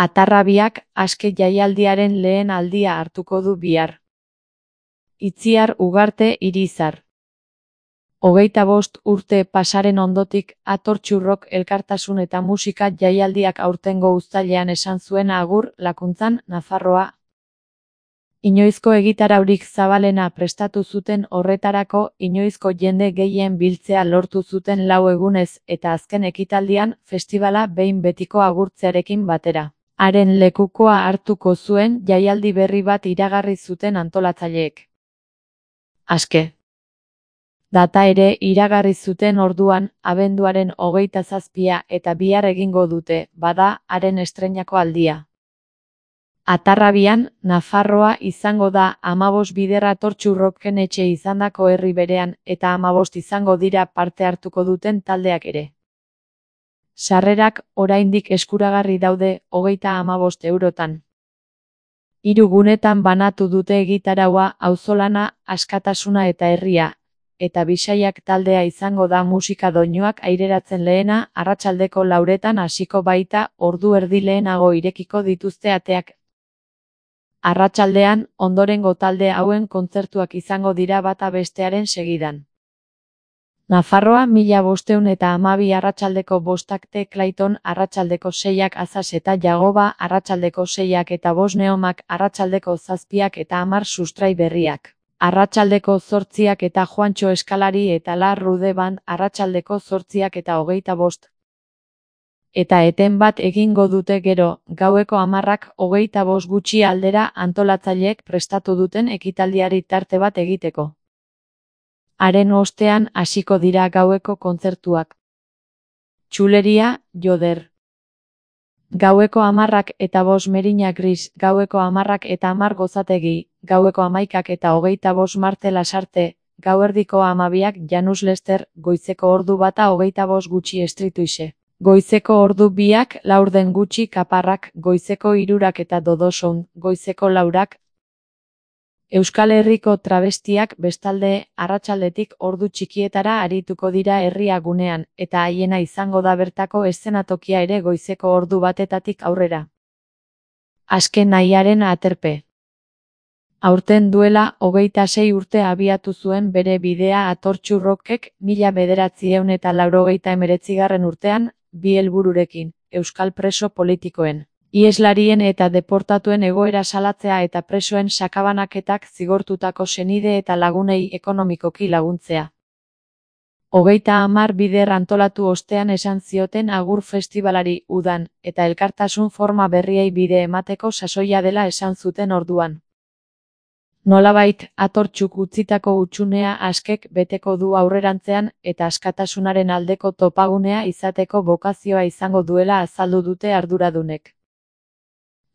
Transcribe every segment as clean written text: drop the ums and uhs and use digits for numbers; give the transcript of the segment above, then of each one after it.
Atarrabiak aske jaialdiaren lehen aldia hartuko du bihar. Itziar Ugarte Irizar. 25 urte pasaren ondotik, Atortxurrok elkartasun eta musika jaialdiak aurtengo uztailean esan zuen agur Lakuntzan, Nafarroa. Inoizko egitaraurik zabalena prestatu zuten horretarako, inoizko jende gehien biltzea lortu zuten 4 egunez eta azken ekitaldian, festibala behin betiko agurtzearekin batera. Haren lekukoa hartuko zuen jaialdi berri bat iragarri zuten antolatzaileek. Aske. Data ere iragarri zuten orduan, abenduaren 27 eta bihar egingo dute, bada, haren estreinako aldia. Atarrabian, Nafarroa izango da 15 bider Atortxurroken etxe izandako herri berean eta 15 izango dira parte hartuko duten taldeak ere. Sarrerak oraindik eskuragarri daude 35 eurotan. 3 gunetan banatu dute egitaraua auzolana, askatasuna eta herria, eta Bisaiak taldea izango da musika doinuak aireratzen lehena, arratsaldeko 4etan hasiko baita, ordu erdi lehenago irekiko dituzte ateak. Arratsaldean, ondorengo talde hauen kontzertuak izango dira bata bestearen segidan. Nafarroa 1512 arratsaldeko 5 Clayton arratsaldeko 6 Azaz eta Jagoba arratsaldeko 6 eta 5 Neomak arratsaldeko 7 eta 10 Sustrai Berriak. Arratsaldeko 8 eta Juantxo Eskalari eta La Rude Band arratsaldeko 8 eta 25. Eta eten bat egingo dute gero, gaueko 10 25 gutxi aldera antolatzaileek prestatu duten ekitaldiari tarte bat egiteko. Haren ostean hasiko dira gaueko kontzertuak. Txuleria, Joder. Gaueko 10 eta 5 Merina Gris, gaueko 10 eta 10 Gozategi, gaueko 11 eta 25 Marte Lasarte, gauerdiko 12 Janus Lester, goizeko ordu bata 25 gutxi Estrituixe. Goizeko ordu 2 laurden gutxi Kaparrak, goizeko 3 eta Dodosoun, goizeko 4. Euskal Herriko Travestiak bestalde, arratsaldetik ordu txikietara arituko dira herria gunean, eta haiena izango da bertako eszenatokia ere goizeko ordu batetatik aurrera. Aske nahiaren aterpe. Aurten duela 26 urte abiatu zuen bere bidea Atortxurrokek 1989 urtean, 2 helbururekin, euskal preso politikoen, iheslarien eta deportatuen egoera salatzea eta presoen sakabanaketak zigortutako senide eta lagunei ekonomikoki laguntzea. 30 bider antolatu ostean esan zioten agur festibalari udan, eta elkartasun forma berriei bide emateko sasoia dela esan zuten orduan. Nolabait, Atortxuk utzitako hutsunea askek beteko du aurrerantzean eta askatasunaren aldeko topagunea izateko bokazioa izango duela azaldu dute arduradunek.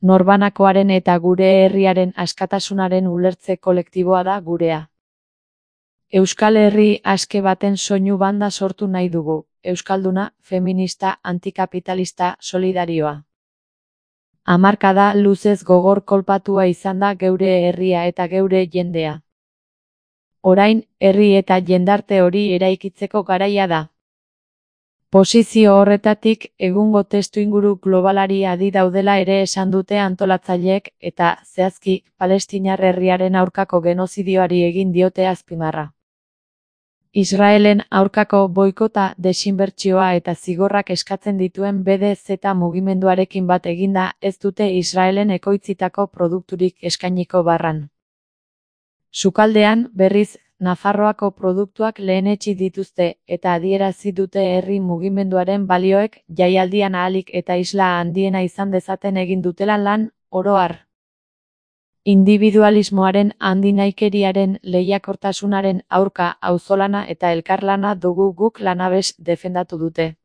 Norbanakoaren eta gure herriaren askatasunaren ulertze kolektiboa da gurea. Euskal Herri aske baten soinu banda sortu nahi dugu, euskalduna, feminista, antikapitalista, solidarioa. Hamarkada luzez gogor kolpatua izan da geure herria eta geure jendea. Orain, herri eta jendarte hori eraikitzeko garaia da. Posizio horretatik, egungo testuinguru globalari adi daudela ere esan dute antolatzaileek eta, zehazki, palestinar herriaren aurkako genozidioari egin diote azpimarra. Israelen aurkako boikota, desinbertsioa eta zigorrak eskatzen dituen BDZ mugimenduarekin bat eginda ez dute Israelen ekoitzitako produkturik eskainiko barran. Sukaldean, berriz, Nafarroako produktuak lehenetsi dituzte eta adierazi dute herri mugimenduaren balioek jaialdian ahalik eta isla handiena izan dezaten egin dutela lan, oro har. Individualismoaren handinaikeriaren lehiakortasunaren aurka auzolana eta elkarlana dugu guk lanabes defendatu dute.